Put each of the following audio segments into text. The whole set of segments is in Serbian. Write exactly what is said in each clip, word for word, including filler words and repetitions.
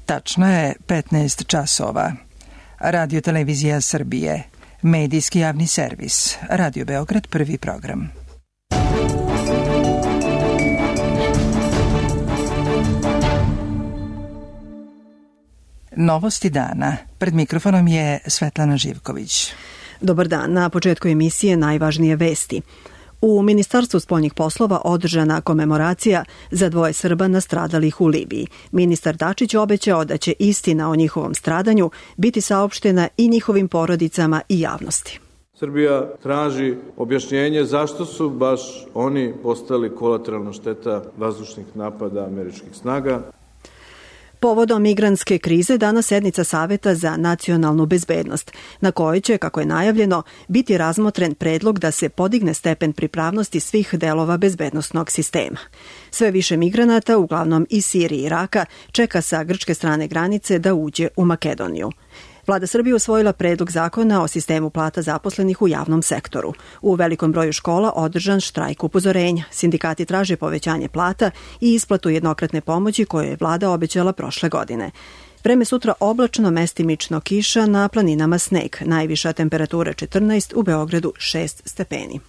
Tačno je petnaest časova. Radio Televizija Srbije, medijski javni servis, Radio Beograd, prvi program. Novosti dana. Pred mikrofonom je Svetlana Živković. Dobar dan. Na početku emisije najvažnije vesti. U Ministarstvu spoljnih poslova održana komemoracija za dvoje Srba nastradalih u Libiji. Ministar Dačić obećao da će istina o njihovom stradanju biti saopštena i njihovim porodicama i javnosti. Srbija traži objašnjenje zašto su baš oni postali kolateralna šteta vazdušnih napada američkih snaga. Povodom migrantske krize danas sednica Saveta za nacionalnu bezbednost, na kojoj će, kako je najavljeno, biti razmotren predlog da se podigne stepen pripravnosti svih delova bezbednosnog sistema. Sve više migranata, uglavnom iz Sirije i Iraka, čeka sa grčke strane granice da uđe u Makedoniju. Vlada Srbije usvojila predlog zakona o sistemu plata zaposlenih u javnom sektoru. U velikom broju škola održan štrajk upozorenja. Sindikati traže povećanje plata i isplatu jednokratne pomoći koje je vlada obećala prošle godine. Vreme sutra oblačno, mestimično kiša, na planinama sneg. Najviša temperatura četrnaest, u Beogradu šest stepeni.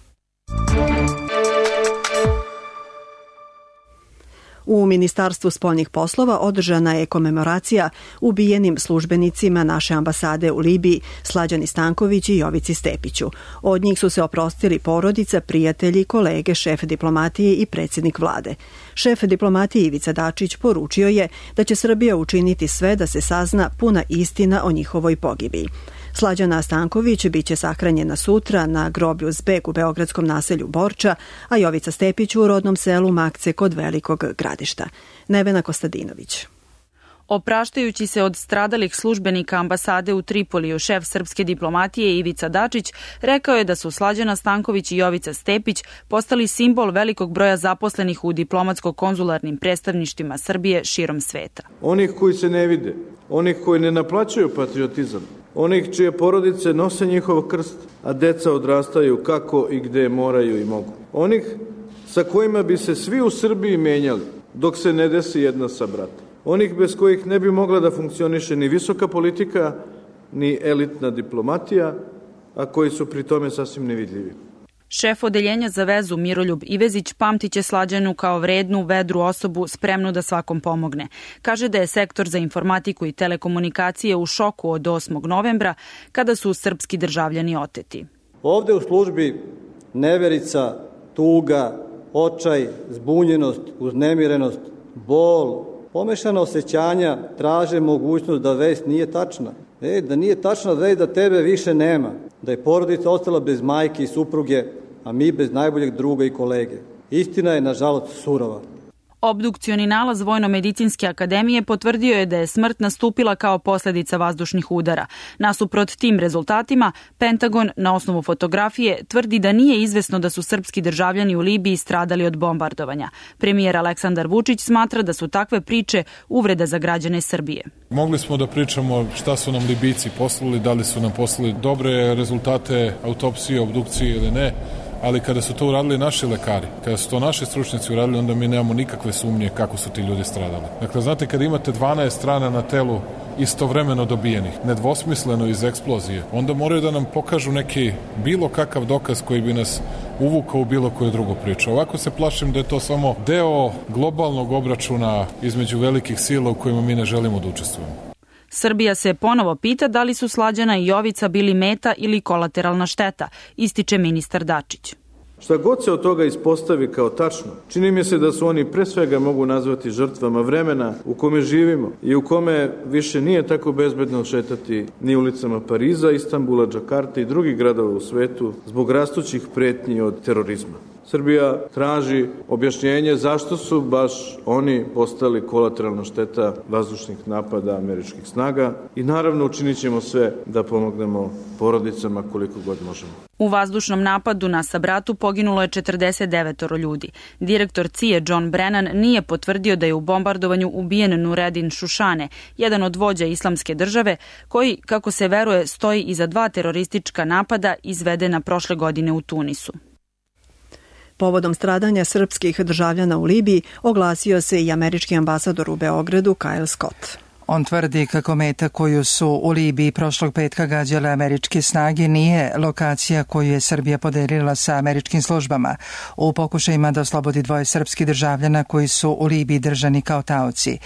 U Ministarstvu spoljnih poslova održana je komemoracija ubijenim službenicima naše ambasade u Libiji, Slađani Stanković i Jovici Stepiću. Od njih su se oprostili porodica, prijatelji, kolege, šef diplomatije i predsjednik vlade. Šef diplomatije Ivica Dačić poručio je da će Srbija učiniti sve da se sazna puna istina o njihovoj pogibiji. Slađana Stanković biće sahranjena sutra na groblju Zbeg u beogradskom naselju Borča, a Jovica Stepić u rodnom selu Makce kod Velikog Gradišta. Nevena Kostadinović. Opraštajući se od stradalih službenika ambasade u Tripoliju, šef srpske diplomatije Ivica Dačić rekao je da su Slađana Stanković i Jovica Stepić postali simbol velikog broja zaposlenih u diplomatsko-konzularnim predstavništvima Srbije širom sveta. Onih koji se ne vide, onih koji ne naplaćuju patriotizam, onih čije porodice nose njihov krst, a deca odrastaju kako i gde moraju i mogu. Onih sa kojima bi se svi u Srbiji menjali dok se ne desi jedna sa brata. Onih bez kojih ne bi mogla da funkcioniše ni visoka politika, ni elitna diplomatija, a koji su pri tome sasvim nevidljivi. Šef odeljenja za vezu Miroljub Ivezić pamtiće Slađanu kao vrednu, vedru osobu spremnu da svakom pomogne. Kaže da je sektor za informatiku i telekomunikacije u šoku od osmog novembra kada su srpski državljani oteti. Ovde u službi neverica, tuga, očaj, zbunjenost, uznemirenost, bol, pomešana osjećanja traže mogućnost da vest nije tačna. E, da nije tačna vest da tebe više nema, da je porodica ostala bez majke i supruge, a mi bez najboljeg druga i kolege. Istina je, nažalost, surova. Obdukcioni nalaz Vojno-medicinske akademije potvrdio je da je smrt nastupila kao posljedica vazdušnih udara. Nasuprot tim rezultatima, Pentagon na osnovu fotografije tvrdi da nije izvesno da su srpski državljani u Libiji stradali od bombardovanja. Premijer Aleksandar Vučić smatra da su takve priče uvreda za građane Srbije. Mogli smo da pričamo šta su nam Libijci poslali, da li su nam poslali dobre rezultate autopsije, obdukcije ili ne. Ali kada su to uradili naši lekari, kada su to naši stručnjaci uradili, onda mi nemamo nikakve sumnje kako su ti ljudi stradali. Dakle, znate, kada imate dvanaest strana na telu istovremeno dobijenih, nedvosmisleno iz eksplozije, onda moraju da nam pokažu neki bilo kakav dokaz koji bi nas uvukao u bilo koju drugu priču. Ovako se plašim da je to samo deo globalnog obračuna između velikih sila u kojima mi ne želimo da učestvujemo. Srbija se ponovo pita da li su Slađana i Jovica bili meta ili kolateralna šteta, ističe ministar Dačić. Šta god se od toga ispostavi kao tačno, čini mi se da su oni pre svega mogu nazvati žrtvama vremena u kome živimo i u kome više nije tako bezbedno šetati ni ulicama Pariza, Istanbula, Džakarte i drugih gradova u svetu zbog rastućih pretnji od terorizma. Srbija traži objašnjenje zašto su baš oni postali kolateralna šteta vazdušnih napada američkih snaga i naravno učinit ćemo sve da pomognemo porodicama koliko god možemo. U vazdušnom napadu na Sabratu poginulo je četrdeset devet ljudi. Direktor C I A John Brennan nije potvrdio da je u bombardovanju ubijen Nureddin Šušane, jedan od vođa islamske države, koji, kako se veruje, stoji iza dva teroristička napada izvedena prošle godine u Tunisu. Povodom stradanja srpskih državljana u Libiji oglasio se i američki ambasador u Beogradu Kyle Scott. On tvrdi kako meta koju su u Libiji prošlog petka gađale američke snage nije lokacija koju je Srbija podelila sa američkim službama u pokušajima da oslobodi dvoje srpskih državljana koji su u Libiji držani kao taoci.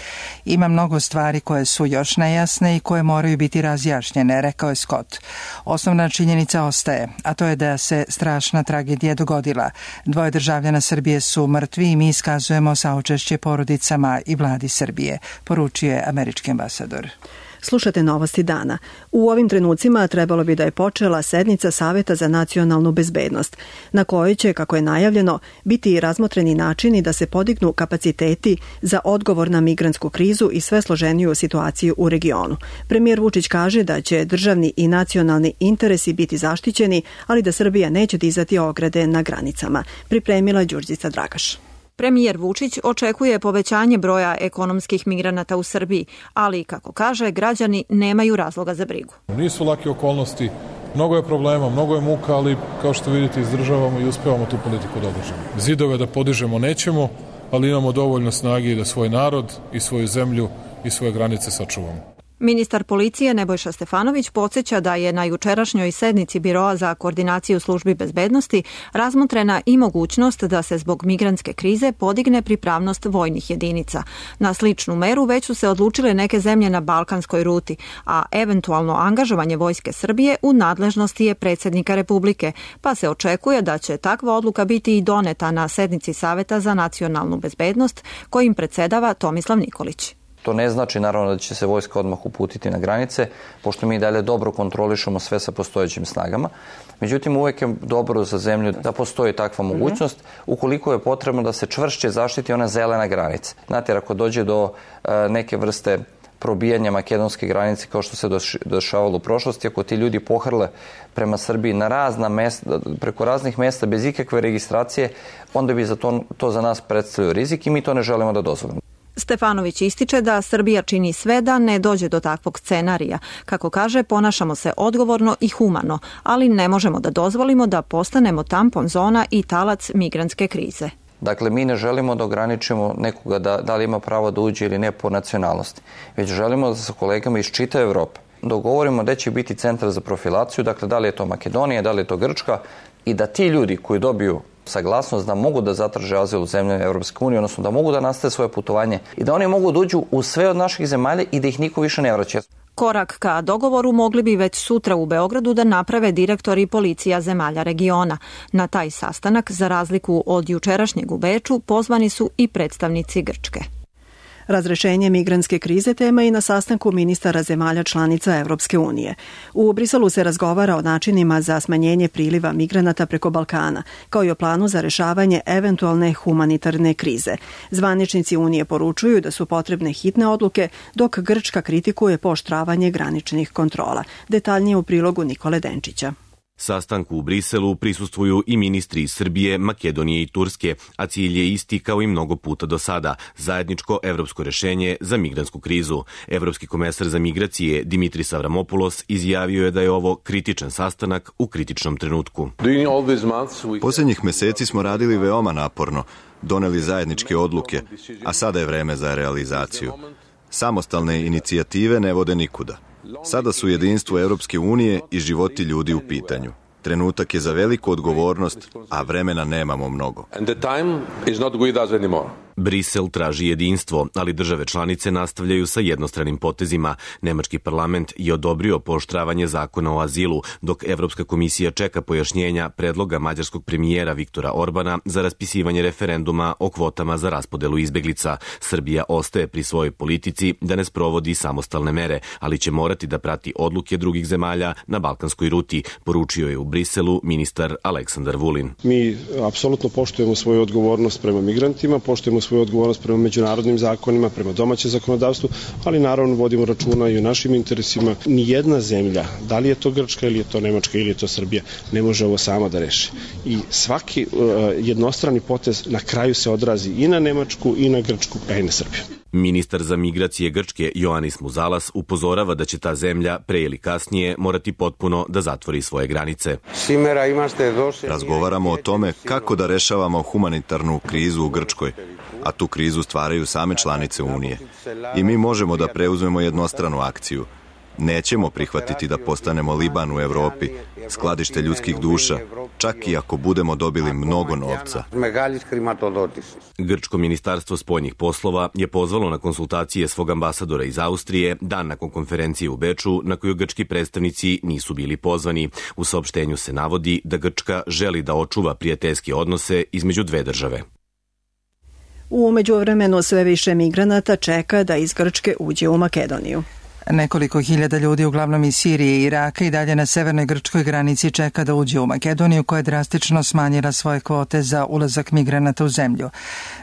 Ima mnogo stvari koje su još nejasne i koje moraju biti razjašnjene, rekao je Scott. Osnovna činjenica ostaje, a to je da se strašna tragedija dogodila. Dvoje državljana Srbije su mrtvi i mi iskazujemo saučešće porodicama i vladi Srbije, poručio je američki ambasador. Slušate novosti dana. U ovim trenucima trebalo bi da je počela sednica Saveta za nacionalnu bezbednost, na kojoj će, kako je najavljeno, biti razmotreni načini da se podignu kapaciteti za odgovor na migrantsku krizu i sve složeniju situaciju u regionu. Premijer Vučić kaže da će državni i nacionalni interesi biti zaštićeni, ali da Srbija neće dizati ograde na granicama. Pripremila Đurđica Dragaš. Premijer Vučić očekuje povećanje broja ekonomskih migranata u Srbiji, ali, kako kaže, građani nemaju razloga za brigu. Nisu lake okolnosti, mnogo je problema, mnogo je muka, ali kao što vidite izdržavamo i uspevamo tu politiku da održamo. Zidove da podižemo nećemo, ali imamo dovoljno snage da svoj narod i svoju zemlju i svoje granice sačuvamo. Ministar policije Nebojša Stefanović podsjeća da je na jučerašnjoj sednici Biroa za koordinaciju službi bezbednosti razmotrena i mogućnost da se zbog migrantske krize podigne pripravnost vojnih jedinica. Na sličnu meru već su se odlučile neke zemlje na balkanskoj ruti, a eventualno angažovanje Vojske Srbije u nadležnosti je predsjednika Republike, pa se očekuje da će takva odluka biti i doneta na sednici Saveta za nacionalnu bezbednost kojim predsjedava Tomislav Nikolić. To ne znači naravno da će se vojska odmah uputiti na granice, pošto mi dalje dobro kontrolišemo sve sa postojećim snagama. Međutim, uvijek je dobro za zemlju da postoji takva mogućnost, ukoliko je potrebno da se čvršće zaštiti ona zelena granica. Znate, jer ako dođe do uh, neke vrste probijanja makedonske granice kao što se dešavalo u prošlosti, ako ti ljudi pohrle prema Srbiji na razna mesta, preko raznih mesta bez ikakve registracije, onda bi za to, to za nas predstavljao rizik i mi to ne želimo da dozvolimo. Stefanović ističe da Srbija čini sve da ne dođe do takvog scenarija. Kako kaže, ponašamo se odgovorno i humano, ali ne možemo da dozvolimo da postanemo tampon zona i talac migrantske krize. Dakle, mi ne želimo da ograničimo nekoga da, da li ima pravo da uđe ili ne po nacionalnosti, već želimo da sa kolegama iz čitave Evrope dogovorimo gde će biti centar za profilaciju, dakle da li je to Makedonija, da li je to Grčka, i da ti ljudi koji dobiju saglasnost da mogu da zatraže azil u zemlje Evropske unije, odnosno da mogu da nastave svoje putovanje i da oni mogu da uđu u sve od naših zemalja i da ih niko više ne vraća. Korak ka dogovoru mogli bi već sutra u Beogradu da naprave direktori policija zemalja regiona. Na taj sastanak, za razliku od jučerašnjeg u Beču, pozvani su i predstavnici Grčke. Razrešenje migrantske krize tema i na sastanku ministara zemalja članica Evropske unije. U Briselu se razgovara o načinima za smanjenje priliva migranata preko Balkana, kao i o planu za rešavanje eventualne humanitarne krize. Zvaničnici Unije poručuju da su potrebne hitne odluke, dok Grčka kritikuje pooštravanje graničnih kontrola. Detaljnije u prilogu Nikole Denčića. Sastanku u Briselu prisustvuju i ministri iz Srbije, Makedonije i Turske, a cilj je isti kao i mnogo puta do sada, zajedničko evropsko rešenje za migrantsku krizu. Evropski komesar za migracije Dimitris Avramopoulos izjavio je da je ovo kritičan sastanak u kritičnom trenutku. Posljednjih meseci smo radili veoma naporno, doneli zajedničke odluke, a sada je vreme za realizaciju. Samostalne inicijative ne vode nikuda. Sada su jedinstvo Evropske unije i životi ljudi u pitanju. Trenutak je za veliku odgovornost, a vremena nemamo mnogo. Brisel traži jedinstvo, ali države članice nastavljaju sa jednostranim potezima. Nemački parlament je odobrio pooštravanje zakona o azilu, dok Evropska komisija čeka pojašnjenja predloga mađarskog premijera Viktora Orbana za raspisivanje referenduma o kvotama za raspodelu izbeglica. Srbija ostaje pri svojoj politici da ne sprovodi samostalne mere, ali će morati da prati odluke drugih zemalja na balkanskoj ruti, poručio je u Briselu ministar Aleksandar Vulin. Mi apsolutno poštujemo svoju odgovornost prema migrantima, poštujemo svoju odgovornost prema međunarodnim zakonima, prema domaćem zakonodavstvu, ali naravno vodimo računa i o našim interesima. Nijedna zemlja, da li je to Grčka ili je to Nemačka ili je to Srbija, ne može ovo sama da reši. I svaki uh, jednostrani potez na kraju se odrazi i na Nemačku i na Grčku, a i na Srbiju. Ministar za migracije Grčke Ioannis Muzalas upozorava da će ta zemlja pre ili kasnije morati potpuno da zatvori svoje granice. Razgovaramo o tome kako da rešavamo humanitarnu krizu u Grčkoj, a tu krizu stvaraju same članice Unije. I mi možemo da preuzmemo jednostranu akciju. Nećemo prihvatiti da postanemo Liban u Evropi, skladište ljudskih duša, čak i ako budemo dobili mnogo novca. Grčko ministarstvo spoljnih poslova je pozvalo na konsultacije svog ambasadora iz Austrije dan nakon konferencije u Beču, na koju grčki predstavnici nisu bili pozvani. U saopštenju se navodi da Grčka želi da očuva prijateljske odnose između dve države. U međuvremenu sve više migranata čeka da iz Grčke uđe u Makedoniju. Nekoliko hiljada ljudi, uglavnom iz Sirije i Iraka, i dalje na severnoj grčkoj granici čeka da uđe u Makedoniju, koja je drastično smanjila svoje kvote za ulazak migranata u zemlju.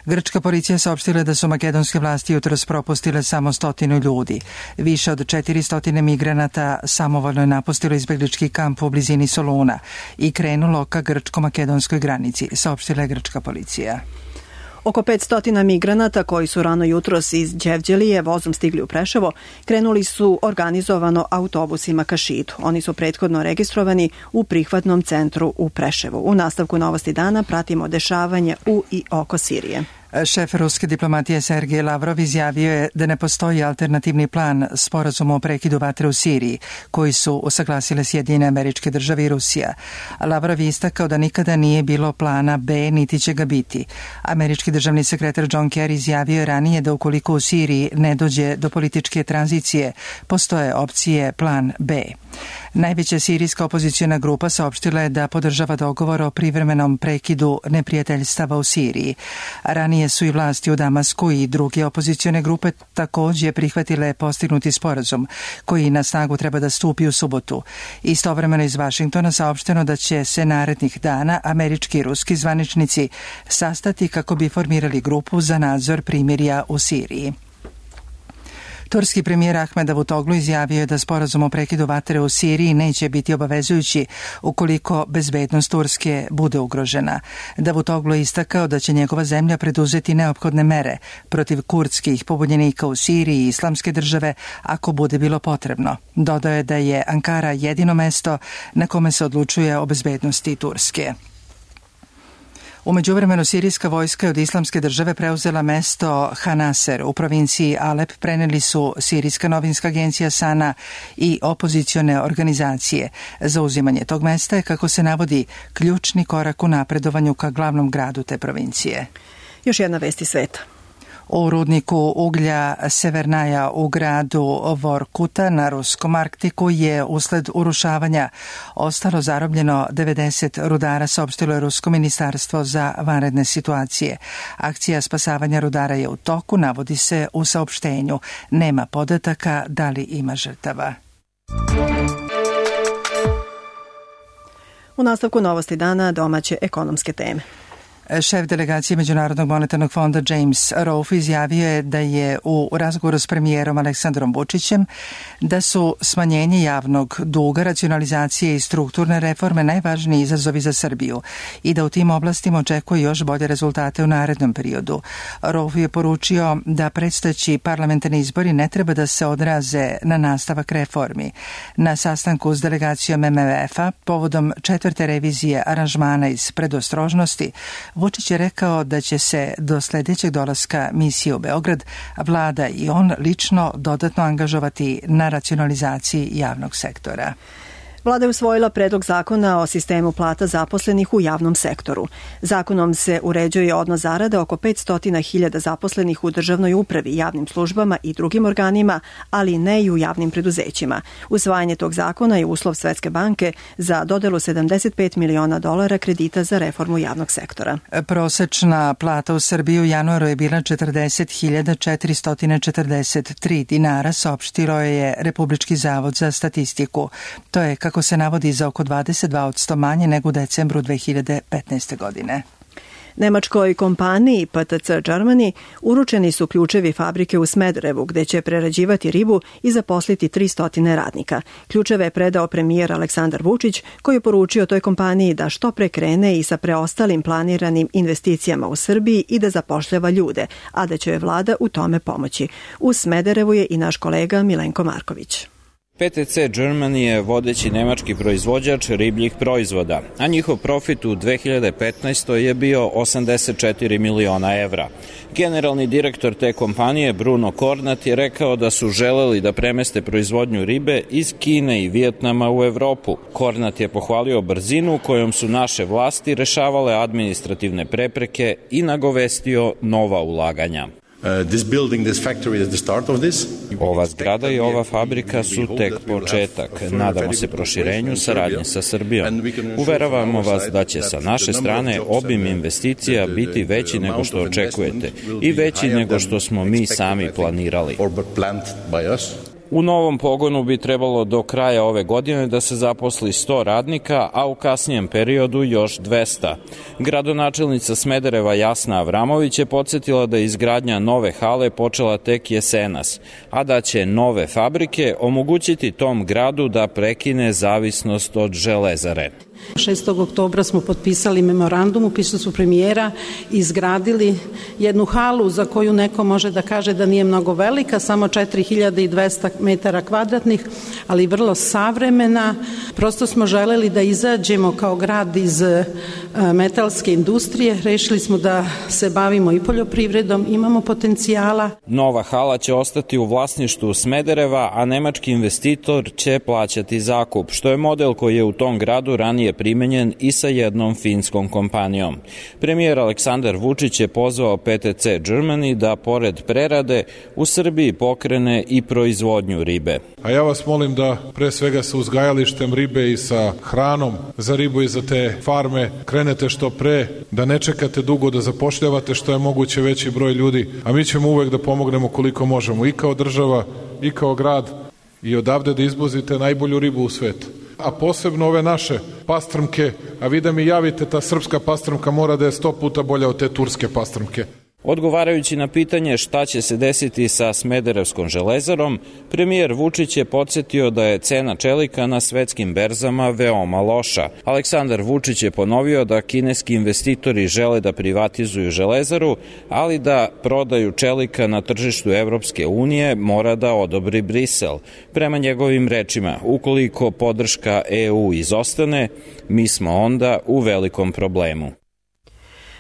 Grčka policija saopštila da su makedonske vlasti jutros propustile samo stotinu ljudi. Više od četiristo migranata samovoljno je napustilo izbeglički kamp u blizini Soluna i krenulo ka grčko-makedonskoj granici, saopštila je grčka policija. Oko petsto migranata koji su rano jutros iz Đevđelije vozom stigli u Preševo krenuli su organizovano autobusima ka Šidu. Oni su prethodno registrovani u prihvatnom centru u Preševu. U nastavku Novosti dana pratimo dešavanje u i oko Sirije. Šef ruske diplomatije Sergej Lavrov izjavio je da ne postoji alternativni plan sporazuma o prekidu vatre u Siriji, koji su usaglasile Sjedinjene Američke Države i Rusija. Lavrov je istakao da nikada nije bilo plana B, niti će ga biti. Američki državni sekretar John Kerry izjavio je ranije da ukoliko u Siriji ne dođe do političke tranzicije, postoje opcije plan B. Najveća sirijska opozicijona grupa saopštila je da podržava dogovor o privremenom prekidu neprijateljstava u Siriji. Ranije su i vlasti u Damasku i druge opozicione grupe također prihvatile postignuti sporazum, koji na snagu treba da stupi u subotu. Istovremeno iz Vašingtona saopšteno da će se narednih dana američki i ruski zvaničnici sastati kako bi formirali grupu za nadzor primirja u Siriji. Turski premijer Ahmed Davutoglu izjavio je da sporazum o prekidu vatre u Siriji neće biti obavezujući ukoliko bezbednost Turske bude ugrožena. Davutoglu je istakao da će njegova zemlja preduzeti neophodne mere protiv kurdskih pobunjenika u Siriji i Islamske države ako bude bilo potrebno. Dodao je da je Ankara jedino mesto na kome se odlučuje o bezbednosti Turske. U međuvremenu sirijska vojska od Islamske države preuzela mesto Hanaser u provinciji Alep, preneli su sirijska novinska agencija Sana i opozicione organizacije. Zauzimanje tog mesta je, kako se navodi, ključni korak u napredovanju ka glavnom gradu te provincije. Još jedna vest iz sveta. U rudniku uglja Severnaja u gradu Vorkuta na ruskom Arktiku je usled urušavanja ostalo zarobljeno devedeset rudara, saopštilo je Rusko ministarstvo za vanredne situacije. Akcija spasavanja rudara je u toku, navodi se u saopštenju. Nema podataka da li ima žrtava. U nastavku Novosti dana domaće ekonomske teme. Šef delegacije Međunarodnog monetarnog fonda James Rolfe izjavio je da je u razgovoru s premijerom Aleksandrom Vučićem da su smanjenje javnog duga, racionalizacije i strukturne reforme najvažniji izazovi za Srbiju i da u tim oblastima očekuje još bolje rezultate u narednom periodu. Rolfe je poručio da predstojeći parlamentarni izbori ne treba da se odraze na nastavak reformi. Na sastanku s delegacijom M M F-a povodom četvrte revizije aranžmana iz predostrožnosti, Vučić je rekao da će se do sljedećeg dolaska misije u Beograd vlada i on lično dodatno angažovati na racionalizaciji javnog sektora. Vlada je usvojila predlog zakona o sistemu plata zaposlenih u javnom sektoru. Zakonom se uređuje odnos zarada oko petsto hiljada zaposlenih u državnoj upravi, javnim službama i drugim organima, ali ne i u javnim preduzećima. Usvajanje tog zakona je uslov Svetske banke za dodelu sedamdeset pet miliona dolara kredita za reformu javnog sektora. Prosečna plata u Srbiji u januaru je bila četrdeset hiljada četiristo četrdeset tri dinara, saopštilo je Republički zavod za statistiku. To je, kako se navodi, za oko dvadeset dva posto manje nego u decembru dve hiljade petnaeste. godine. Nemačkoj kompaniji P T C Germany uručeni su ključevi fabrike u Smederevu, gde će prerađivati ribu i zaposliti tristo radnika. Ključeve je predao premijer Aleksandar Vučić, koji je poručio toj kompaniji da što pre krene i sa preostalim planiranim investicijama u Srbiji i da zapošljava ljude, a da će joj vlada u tome pomoći. U Smederevu je i naš kolega Milenko Marković. P T C Germany je vodeći nemački proizvođač ribljih proizvoda, a njihov profit u dve hiljade petnaestoj je bio osamdeset četiri miliona evra. Generalni direktor te kompanije Bruno Kornat je rekao da su želeli da premeste proizvodnju ribe iz Kine i Vijetnama u Evropu. Kornat je pohvalio brzinu kojom su naše vlasti rešavale administrativne prepreke i nagovestio nova ulaganja. Ova zgrada i ova fabrika su tek početak. Nadamo se proširenju saradnje sa Srbijom. Uveravamo vas da će sa naše strane obim investicija biti veći nego što očekujete i veći nego što smo mi sami planirali. U novom pogonu bi trebalo do kraja ove godine da se zaposli sto radnika, a u kasnijem periodu još dvesta. Gradonačelnica Smedereva Jasna Avramović je podsjetila da je izgradnja nove hale počela tek jesenas, a da će nove fabrike omogućiti tom gradu da prekine zavisnost od železare. šestog oktobra smo potpisali memorandum, upisali su premijera i izgradili jednu halu za koju neko može da kaže da nije mnogo velika, samo četiri hiljade dvesta metara kvadratnih, ali vrlo savremena. Prosto smo želeli da izađemo kao grad iz metalske industrije, rešili smo da se bavimo i poljoprivredom, imamo potencijala. Nova hala će ostati u vlasništvu Smedereva, a nemački investitor će plaćati zakup, što je model koji je u tom gradu ranije primenjen i sa jednom finskom kompanijom. Premijer Aleksandar Vučić je pozvao P T C Germany da pored prerade u Srbiji pokrene i proizvodnju ribe. A ja vas molim da pre svega sa uzgajalištem ribe i sa hranom za ribu i za te farme krenete što pre, da ne čekate dugo, da zapošljavate što je moguće veći broj ljudi, a mi ćemo uvek da pomognemo koliko možemo i kao država i kao grad i odavde da izvozite najbolju ribu u svetu. A posebno ove naše pastrmke, a vi da mi javite, ta srpska pastrmka mora da je sto puta bolja od te turske pastrmke. Odgovarajući na pitanje šta će se desiti sa Smederevskom železarom, premijer Vučić je podsjetio da je cena čelika na svetskim berzama veoma loša. Aleksandar Vučić je ponovio da kineski investitori žele da privatizuju železaru, ali da prodaju čelika na tržištu Evropske unije mora da odobri Brisel. Prema njegovim rečima, ukoliko podrška E U izostane, mi smo onda u velikom problemu.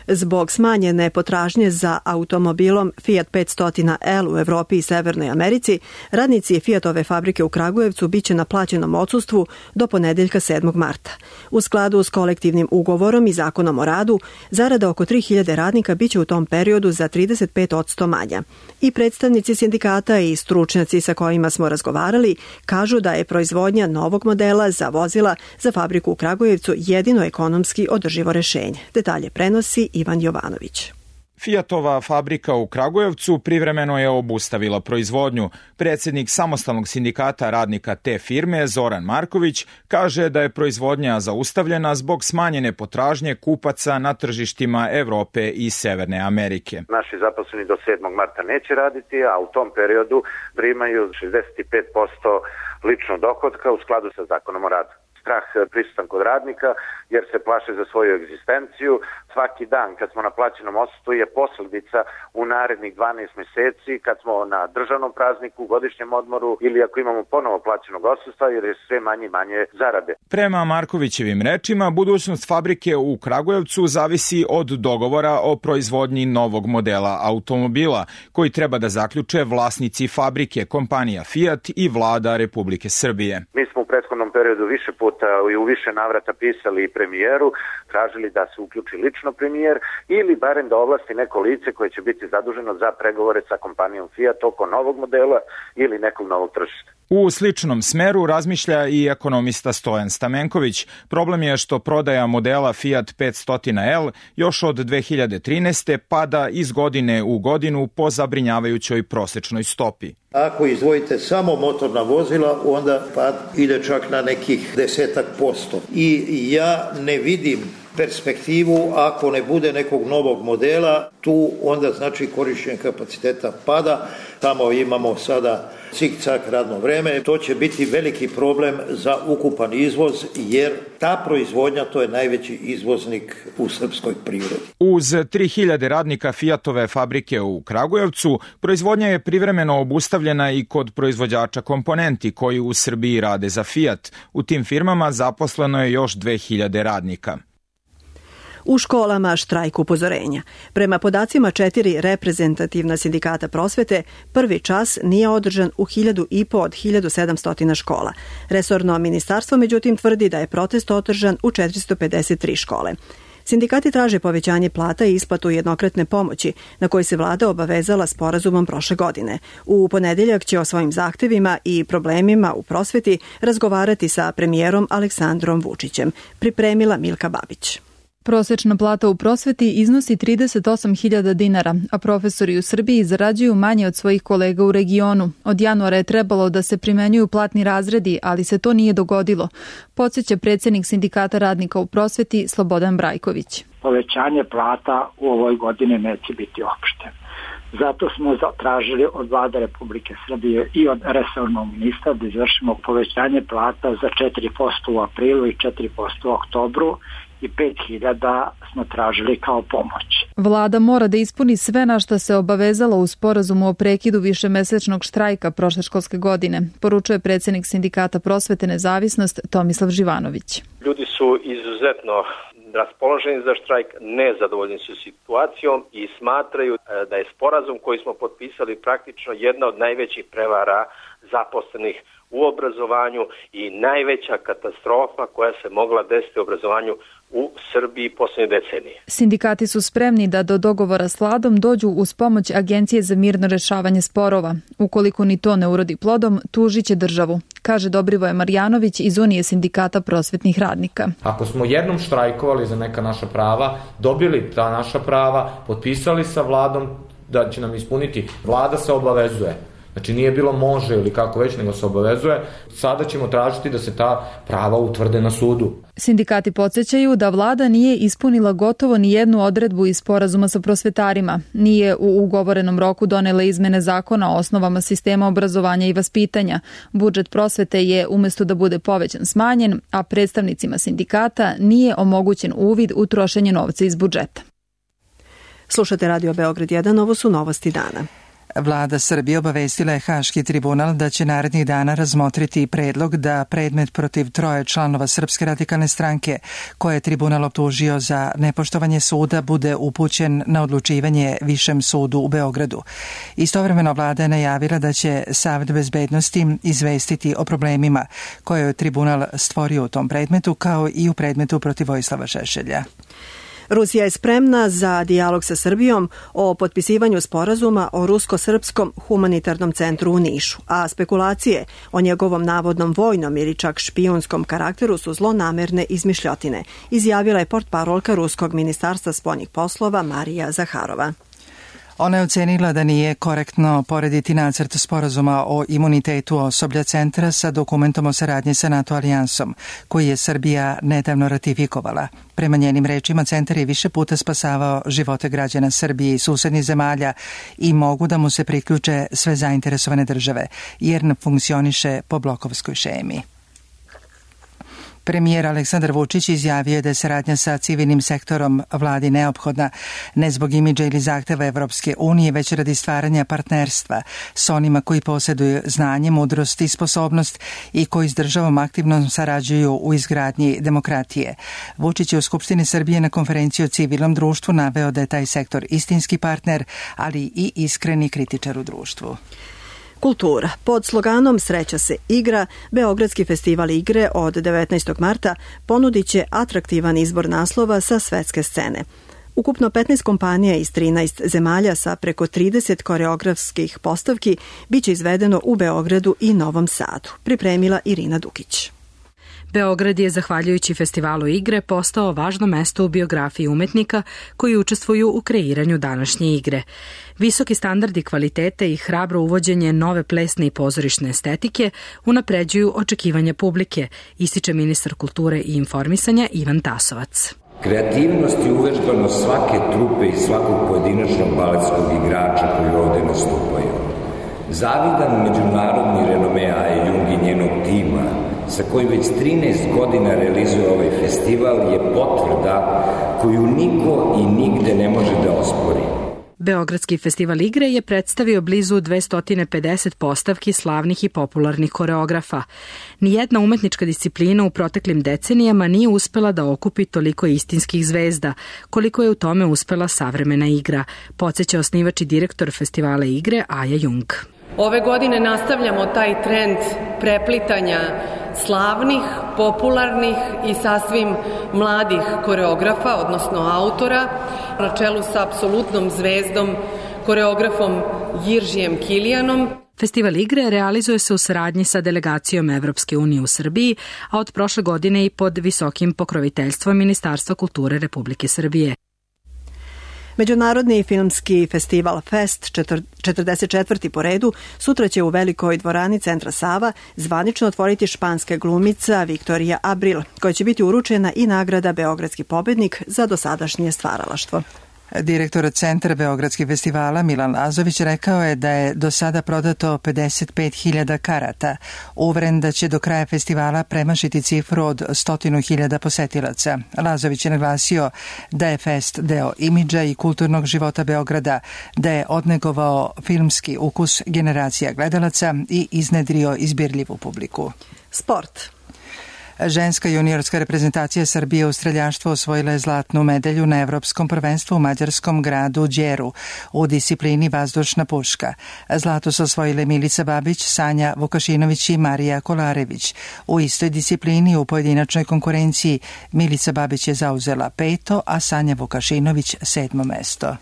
Zbog smanjene potražnje za automobilom Fiat petsto L u Evropi i Severnoj Americi, radnici Fiatove fabrike u Kragujevcu biće na plaćenom odsustvu do ponedeljka sedmog marta. U skladu s kolektivnim ugovorom i zakonom o radu, zarada oko tri hiljade radnika biće u tom periodu za trideset pet posto manja. I predstavnici sindikata i stručnjaci sa kojima smo razgovarali kažu da je proizvodnja novog modela za vozila za fabriku u Kragujevcu jedino ekonomski održivo rešenje. Detalje prenosi Ivan Jovanović. Fiatova fabrika u Kragujevcu privremeno je obustavila proizvodnju. Predsjednik samostalnog sindikata radnika te firme, Zoran Marković, kaže da je proizvodnja zaustavljena zbog smanjene potražnje kupaca na tržištima Evrope i Severne Amerike. Naši zaposleni do sedmog marta neće raditi, a u tom periodu primaju šezdeset pet posto ličnog dohotka u skladu sa zakonom o radu. Strah prisutan kod radnika jer se plaše za svoju egzistenciju. Svaki dan kad smo na plaćenom odsustvu je posljedica u narednih dvanaest meseci kad smo na državnom prazniku, godišnjem odmoru ili ako imamo ponovo plaćenog odsustva jer je sve manje i manje zarade. Prema Markovićevim rečima, budućnost fabrike u Kragujevcu zavisi od dogovora o proizvodnji novog modela automobila koji treba da zaključe vlasnici fabrike, kompanija Fiat i vlada Republike Srbije. Mi smo u prethodnom periodu više puta i u više navrata pisali i premijeru, tražili da se uključi lično premijer ili barem da ovlasti neko lice koje će biti zaduženo za pregovore sa kompanijom Fiat oko novog modela ili nekog novog tržišta. U sličnom smeru razmišlja i ekonomista Stojan Stamenković. Problem je što prodaja modela Fiat petsto L još od dve hiljade trinaeste pada iz godine u godinu po zabrinjavajućoj prosečnoj stopi. Ako izdvojite samo motorna vozila, onda pad ide čak na nekih desetak posto. I ja ne vidim perspektivu, ako ne bude nekog novog modela, tu onda znači korišćenje kapaciteta pada, tamo imamo sada cik-cak radno vreme, to će biti veliki problem za ukupan izvoz, jer ta proizvodnja to je najveći izvoznik u srpskoj privredi. Uz tri hiljade radnika Fiatove fabrike u Kragujevcu, proizvodnja je privremeno obustavljena i kod proizvođača komponenti koji u Srbiji rade za Fiat. U tim firmama zaposleno je još dve hiljade radnika. U školama štrajk upozorenja. Prema podacima četiri reprezentativna sindikata prosvete, prvi čas nije održan u hiljadu i po od hiljadu sedamsto škola. Resorno ministarstvo međutim tvrdi da je protest održan u četiristo pedeset tri škole. Sindikati traže povećanje plata i isplatu jednokratne pomoći, na koji se vlada obavezala sporazumom prošle godine. U ponedeljak će o svojim zahtevima i problemima u prosveti razgovarati sa premijerom Aleksandrom Vučićem, pripremila Milka Babić. Prosečna plata u prosveti iznosi trideset osam hiljada dinara, a profesori u Srbiji zarađuju manje od svojih kolega u regionu. Od januara je trebalo da se primenjuju platni razredi, ali se to nije dogodilo, podsjeća predsjednik sindikata radnika u prosveti Slobodan Brajković. Povećanje plata u ovoj godini neće biti opšte. Zato smo zatražili od vlade Republike Srbije i od resornog ministra da izvršimo povećanje plata za četiri posto u aprilu i četiri posto u oktobru, i pet hiljada smo tražili kao pomoć. Vlada mora da ispuni sve na što se obavezala u sporazumu o prekidu višemesečnog štrajka prošle školske godine, poručuje predsjednik sindikata prosvete Nezavisnost Tomislav Živanović. Ljudi su izuzetno raspoloženi za štrajk, nezadovoljni su situacijom i smatraju da je sporazum koji smo potpisali praktično jedna od najvećih prevara zaposlenih u obrazovanju i najveća katastrofa koja se mogla desiti u obrazovanju u Srbiji posljednje decenije. Sindikati su spremni da do dogovora s vladom dođu uz pomoć Agencije za mirno rešavanje sporova. Ukoliko ni to ne urodi plodom, tužit će državu, kaže Dobrivoje Marjanović iz Unije sindikata prosvetnih radnika. Ako smo jednom štrajkovali za neka naša prava, dobili ta naša prava, potpisali sa vladom da će nam ispuniti, vlada se obavezuje. Znači nije bilo može ili kako već, nego se obavezuje. Sada ćemo tražiti da se ta prava utvrde na sudu. Sindikati podsjećaju da vlada nije ispunila gotovo ni jednu odredbu iz sporazuma sa prosvetarima. Nije u ugovorenom roku donela izmene zakona o osnovama sistema obrazovanja i vaspitanja. Budžet prosvete je umjesto da bude povećan smanjen, a predstavnicima sindikata nije omogućen uvid u trošenje novca iz budžeta. Slušate Radio Beograd jedan, ovo su novosti dana. Vlada Srbije obavestila je Haški tribunal da će narednih dana razmotriti predlog da predmet protiv troje članova Srpske radikalne stranke, koje je tribunal optužio za nepoštovanje suda, bude upućen na odlučivanje Višem sudu u Beogradu. Istovremeno vlada je najavila da će Savet bezbednosti izvestiti o problemima koje je tribunal stvorio u tom predmetu, kao i u predmetu protiv Vojislava Šešelja. Rusija je spremna za dijalog sa Srbijom o potpisivanju sporazuma o rusko-srpskom humanitarnom centru u Nišu, a spekulacije o njegovom navodnom vojnom ili čak špijunskom karakteru su zlonamerne izmišljotine, izjavila je portparolka Ruskog ministarstva spoljnih poslova Marija Zaharova. Ona je ocenila da nije korektno porediti nacrt sporazuma o imunitetu osoblja centra sa dokumentom o saradnji sa NATO alijansom, koji je Srbija nedavno ratifikovala. Prema njenim rečima, centar je više puta spasavao živote građana Srbije i susednih zemalja i mogu da mu se priključe sve zainteresovane države, jer ne funkcioniše po blokovskoj šemi. Premijer Aleksandar Vučić izjavio je da je saradnja sa civilnim sektorom vladi neophodna ne zbog imidža ili zahteva Evropske unije, već radi stvaranja partnerstva s onima koji posjeduju znanje, mudrost i sposobnost i koji s državom aktivno sarađuju u izgradnji demokratije. Vučić je u Skupštini Srbije na konferenciji o civilnom društvu naveo da je taj sektor istinski partner, ali i iskreni kritičar u društvu. Kultura. Pod sloganom Sreća se igra, Beogradski festival igre od devetnaestog marta ponudit će atraktivan izbor naslova sa svetske scene. Ukupno petnaest kompanija iz trinaest zemalja sa preko trideset koreografskih postavki biće izvedeno u Beogradu i Novom Sadu, pripremila Irina Dukić. Beograd je, zahvaljujući festivalu igre, postao važno mesto u biografiji umetnika koji učestvuju u kreiranju današnje igre. Visoki standardi kvalitete i hrabro uvođenje nove plesne i pozorišne estetike unapređuju očekivanja publike, ističe ministar kulture i informisanja Ivan Tasovac. Kreativnost i uvežbanost svake trupe i svakog pojedinačnog baletskog igrača koji ovde nastupaju. Zavidan međunarodni renome Aje Jung i njenog tima, sa kojim već trinaest godina realizuje ovaj festival, je potvrda koju niko i nigde ne može da ospori. Beogradski festival igre je predstavio blizu dvesta pedeset postavki slavnih i popularnih koreografa. Nijedna umetnička disciplina u proteklim decenijama nije uspela da okupi toliko istinskih zvezda, koliko je u tome uspela savremena igra, podseća osnivač i direktor festivala igre Aja Jung. Ove godine nastavljamo taj trend preplitanja slavnih, popularnih i sasvim mladih koreografa, odnosno autora, na čelu sa apsolutnom zvezdom, koreografom Jiržijem Kilijanom. Festival igre realizuje se u saradnji sa delegacijom Evropske unije u Srbiji, a od prošle godine i pod visokim pokroviteljstvom Ministarstva kulture Republike Srbije. Međunarodni filmski festival Fest, četrdeset četvrti po redu, sutra će u velikoj dvorani Centra Sava zvanično otvoriti španska glumica Viktorija Abril, koja će biti uručena i nagrada Beogradski pobednik za dosadašnje stvaralaštvo. Direktor Centra Beogradskih festivala Milan Lazović rekao je da je do sada prodato pedeset pet hiljada karata. Uveren da će do kraja festivala premašiti cifru od stotinu hiljada posetilaca. Lazović je naglasio da je fest deo imidža i kulturnog života Beograda, da je odnegovao filmski ukus generacija gledalaca i iznedrio izbirljivu publiku. Sport. Ženska juniorska reprezentacija Srbije u streljaštvu osvojila je zlatnu medalju na Evropskom prvenstvu u mađarskom gradu Đeru u disciplini vazdušna puška. Zlato su osvojile Milica Babić, Sanja Vukašinović i Marija Kolarević. U istoj disciplini u pojedinačnoj konkurenciji Milica Babić je zauzela peto, a Sanja Vukašinović sedmo mesto.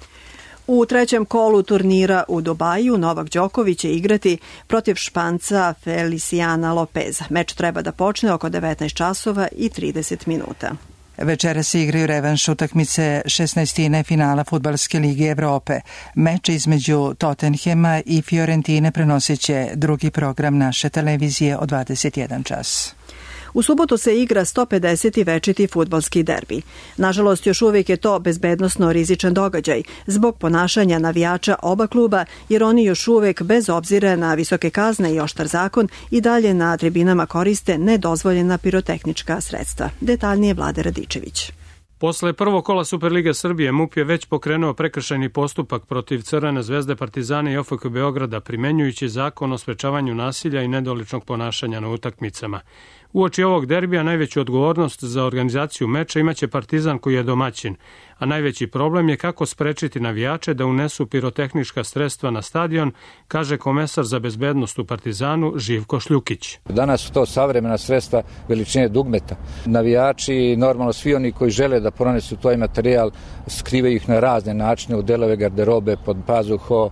U trećem kolu turnira u Dubaju Novak Đoković će igrati protiv Španca Feliciana Lopeza. Meč treba da počne oko devetnaest časova i trideset minuta. Večera se igraju revanš utakmice šesnaestine finala Fudbalske lige Evrope. Meč između Tottenhema i Fiorentine prenosit će drugi program naše televizije od dvadeset jedan čas. U subotu se igra sto pedeseti večiti fudbalski derbi. Nažalost, još uvijek je to bezbednosno rizičan događaj zbog ponašanja navijača oba kluba, jer oni još uvijek, bez obzira na visoke kazne i oštar zakon, i dalje na tribinama koriste nedozvoljena pirotehnička sredstva. Detaljnije Vlade Radičević. Posle prvog kola Superlige Srbije M U P je već pokrenuo prekršajni postupak protiv Crvene zvezde, Partizana i O F K Beograda, primenjujući zakon o sprečavanju nasilja i nedoličnog ponašanja na utakmicama. Uoči ovog derbija najveću odgovornost za organizaciju meča imaće Partizan koji je domaćin, a najveći problem je kako sprečiti navijače da unesu pirotehnička sredstva na stadion, kaže komesar za bezbednost u Partizanu Živko Šljukić. Danas su to savremena sredstva veličine dugmeta. Navijači, normalno svi oni koji žele da pronesu taj materijal, skrivaju ih na razne načine u delove garderobe, pod pazuho,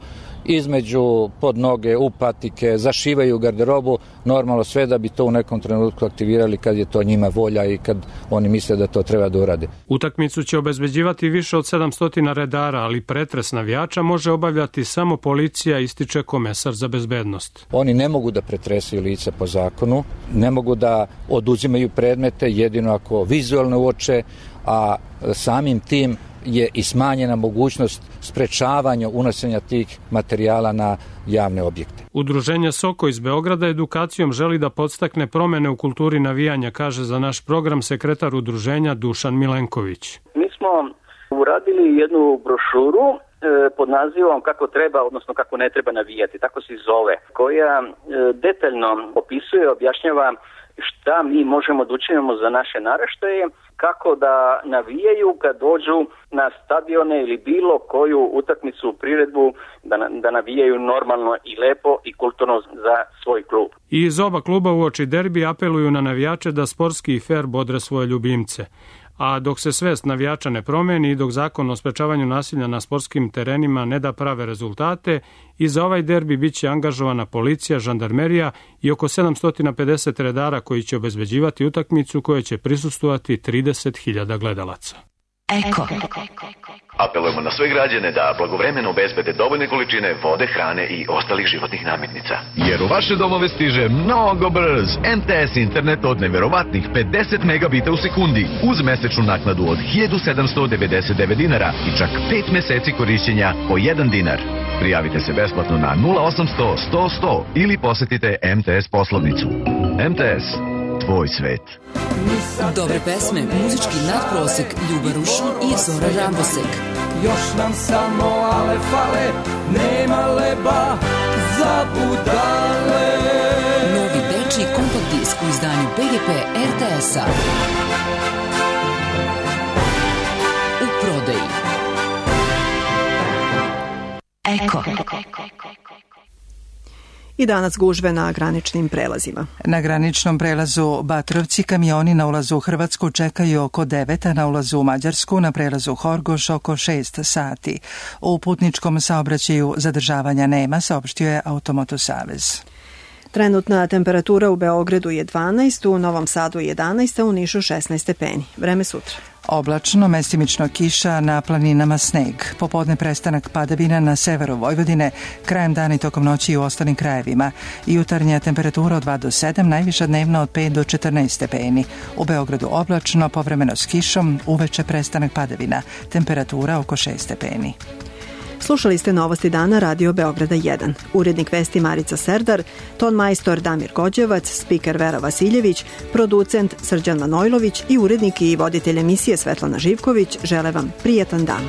između pod noge, u patike, zašivaju garderobu, normalno sve da bi to u nekom trenutku aktivirali kad je to njima volja i kad oni misle da to treba da urade. Utakmicu će obezbeđivati više od sedamsto redara, ali pretres navijača može obavljati samo policija, ističe komesar za bezbednost. Oni ne mogu da pretresaju lica po zakonu, ne mogu da oduzimaju predmete, jedino ako vizualno uoče, a samim tim je i smanjena mogućnost sprečavanja unošenja tih materijala na javne objekte. Udruženje Soko iz Beograda edukacijom želi da podstakne promene u kulturi navijanja, kaže za naš program sekretar udruženja Dušan Milenković. Mi smo uradili jednu brošuru e, pod nazivom kako treba, odnosno kako ne treba navijati, tako se zove, koja e, detaljno opisuje, objašnjava šta mi možemo da učinimo za naše naraštaje, kako da navijaju kad dođu na stadione ili bilo koju utakmicu, priredbu, da, da navijaju normalno i lepo i kulturno za svoj klub. I iz oba kluba uoči derbi apeluju na navijače da sportski i fer bodre svoje ljubimce. A dok se svest navijača ne promeni i dok zakon o sprečavanju nasilja na sportskim terenima ne da prave rezultate, i za ovaj derbi bit će angažovana policija, žandarmerija i oko sedamsto pedeset redara koji će obezbeđivati utakmicu koja će prisustvovati trideset hiljada gledalaca. Eko. Apelujemo na sve građane da blagovremeno obezbede dovoljne količine vode, hrane i ostalih životnih namirnica. Jer u vaše domove stiže mnogo brz M T S internet od neverovatnih pedeset megabita u sekundi uz mesečnu naknadu od hiljadu sedamsto devedeset devet dinara i čak pet meseci korišćenja po jedan dinar. Prijavite se besplatno na nula osamsto sto sto ili posetite M T S poslovnicu. M T S. Tvoj svet. Dobre pesme, muzički nadprosek, Ljuba Rušan i Zora Rambosek. Još nam samo ale fale, nema leba za budale. Novi dečiji kompakt disk u izdanju B G P R T S-a. U prodaji. Eko. I danas gužve na graničnim prelazima. Na graničnom prelazu Batrovci kamioni na ulazu u Hrvatsku čekaju oko devet, a na ulazu u Mađarsku na prelazu Horgoš oko šest sati. U putničkom saobraćaju zadržavanja nema, saopštio je Automoto Savez. Trenutna temperatura u Beogradu je dvanaest, u Novom Sadu jedanaest, a u Nišu šesnaest stepeni. Vreme sutra. Oblačno, mestimično kiša, na planinama sneg. Popodne prestanak padavina na severu Vojvodine, krajem dana i tokom noći i u ostalim krajevima. Jutarnja temperatura od dva do sedam, najviša dnevna od pet do četrnaest stepeni. U Beogradu oblačno, povremeno s kišom, uveče prestanak padavina. Temperatura oko šest stepeni. Slušali ste Novosti dana Radio Beograda jedan. Urednik vesti Marica Serdar, ton majstor Damir Gođevac, spiker Vera Vasiljević, producent Srđan Manojlović i urednik i voditelj emisije Svetlana Živković žele vam prijetan dan.